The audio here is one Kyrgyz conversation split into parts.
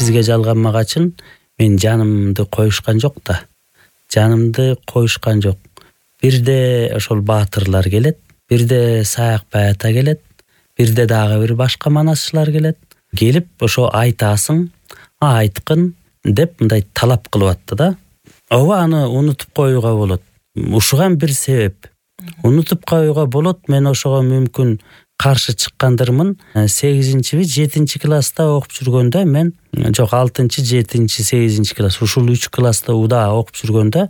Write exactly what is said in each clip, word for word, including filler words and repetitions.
сизге жалганмак үчүн мен жанымды коюшкан жок да. Жанымды коюшкан жок. Бирде ошол баатырлар келет, бирде Саякбай ата келет, бирде дагы бир башка манасчылар келет. Келип ошо айтасың, айткын деп мындай талап кылып атты да. Ооба, аны унутуп коюуга болот. Ушуган бир себеп. Унутуп коюуга болот. Мен ошого мүмкүн каршы чыккандырмын. сегизинчи, жетинчи класста окуп жүргөндө мен, жок алтынчы, жетинчи, сегизинчи класс, ушул үч класста удаа окуп жүргөндө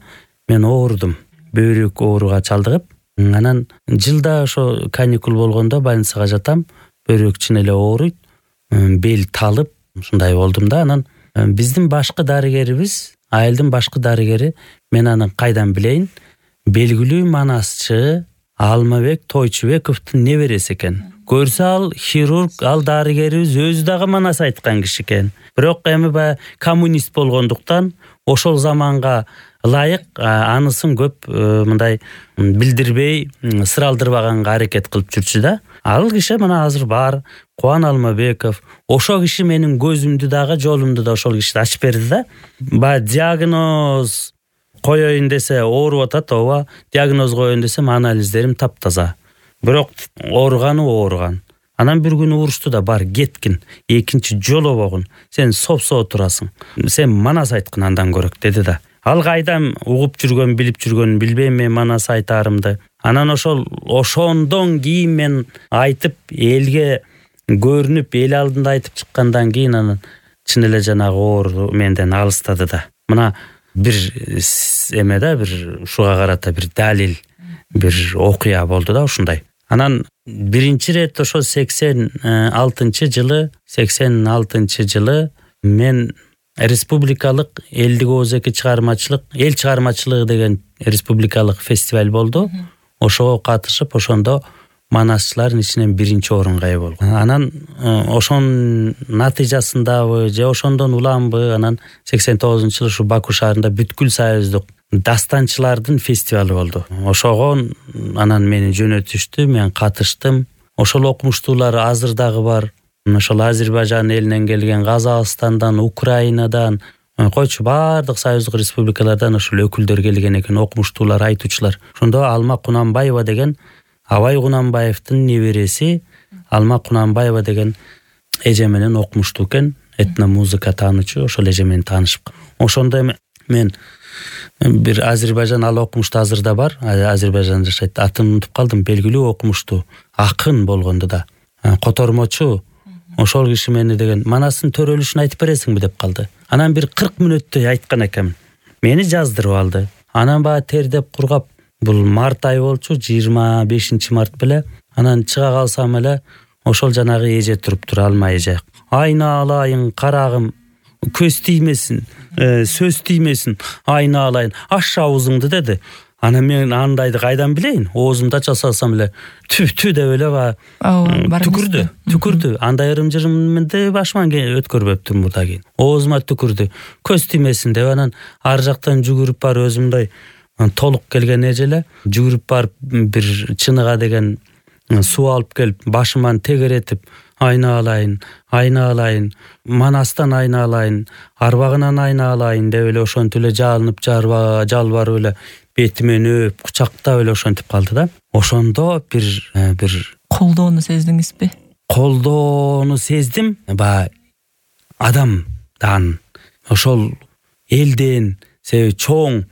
мен оорудум. Бөйрөк ооруга чалдыгып, анан жылда ошо каникул болгондо больницага жатам. Бөйрөк чын эле ооруйт. Бел талып, ушундай болдум да. Анан биздин башкы дарыгерибиз, айылдын башкы дарыгери, мен аны кайдан билейин, белгилүү манасчы Алмабек Тойчубековдун небереси экен. Көрсө ал хирург, ал дарыгерибиз өзү дагы манас айткан киши экен. Бирок эми баягы коммунист болгондуктан ошол заманга ылайык анысын көп мындай билдирбей, сыралдырбаганга аракет кылып жүрчү да. Ал киши мына азыр бар, Кубан Алмабеков. Ошол киши менин көзүмдү дагы, жолумду да ошол киши ачып берди да. Баягы диагноз коеюн десе ооруп атат, ооба, диагноз коеюн десем анализдерим таптаза. Бирок ооруганы ооруган. Анан бир күнү урушту да, бар кеткин, экинчи жолобогун, сен сопсо турасың, сен манас айткын андан көрөк деди да. Ал кайдан угуп жүргөн, билип жүргөнүн билбейм мен манас айтаарымды. Анан ошол ошондон кийин мен айтып, элге көрүнүп, эл алдында айтып чыккандан кийин анан чын эле жанагы оору менден алыстады да. Мына бир эме да, бир ушуга карата бир далил, бир окуя болду да ушундай. Анан биринчи рет ошо сексен алтынчы жылы, сексен алтынчы жылы мен республикалык элдик оозеки чыгармачылык, эл чыгармачылыгы деген республикалык фестиваль болду. Ошого катышып, ошондо манасчылардын ичинен биринчи орунга ээ болгом. Анан ошонун натыйжасындабы же ошондон уламбы, анан сексен тогузунчу жылы ушу Баку шаарында бүткүл союздук дастанчылардын фестивалы болду. Ошого анан мени жөнөтүштү, мен катыштым. Ошол окумуштуулар азыр дагы бар. Ошол Азербайжан элинен келген, Казакстандан, Украинадан, койчу баардык союздук республикалардан ошол өкүлдөр келген экен, окумуштуулар, айтуучулар. Ошондо Алма Кунанбаева деген Абай Кунанбаевдин небереси, Алма Кунанбаева деген эже менен окумуштуу экен, этномузыка таануучу, ошол эже менен таанышып. Ошондо мен бир Азербайжан, ал окумушту азырда бар, Азербайжанда жашайт. Атын унутуп калдым, белгилүү окумуштуу, акын болгондо да, котормочу. Ошол киши мени деген манастын төрөлүшүн айтып бересиңби деп калды. Анан бир кырк мүнөттөй айткан экенмин. Мени жаздырып алды. Анан баа тердеп кургап, бул март ай болчу, жыйырма бешинчи март беле. Анан чыга калсам эле ошол жанагы эже туруптур, Алма эже. Айналайын карагым, көз тиймесин, сөз тиймесин, айналайын, аш аузуңду деди. Анан мен андайды кайдан билейин? Оозумду ача салсам эле тү-тү деп эле ба түкүрдү, түкүрдү. Андай ырым-жырымды башыман өткөрбөптүм мурда кийин. Оозума түкүрдү. Көз тиймесин деп анан ар жактан жүгүрүп бар, өзүмдөй толук келген эжеле жүгүрүп барып бир чыныга деген суу алып келип башыман тегеретип, айналайын, айналайын, манастан айналайын, арбагынан айналайын деп эле ошентип эле жалынып, жалбарып эле бетимен өп, кучактап эле ошентип калды да. Ошондо бир бир колдоону сездиңизби? Колдоону сездим. Ба адамдан, ошол элден, себеби чоң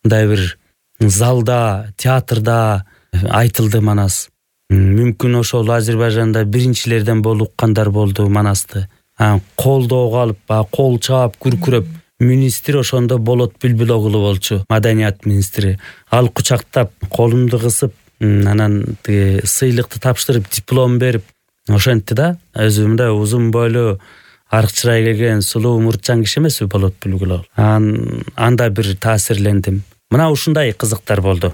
мындай бир залда, театрда айтылды манас. Мүмкүн ошол Азербайжанда биринчилерден болуп уккандар болду манасты. Колдоого алып, кол чаап, күркүрөп, министр ошондо Болот Бүлбүлоглу болчу, маданият министри. Ал кучактап, колумду кысып, анан сыйлыкты тапшырып, диплом берип, ошентти да. Өзү мындай узун бойлуу, арк чырай келген, сулуу муртчан киши эмеспи Болот Бүлбүлоглу. Анда бир таасирлендим. Мына ушундай кызыктар болду.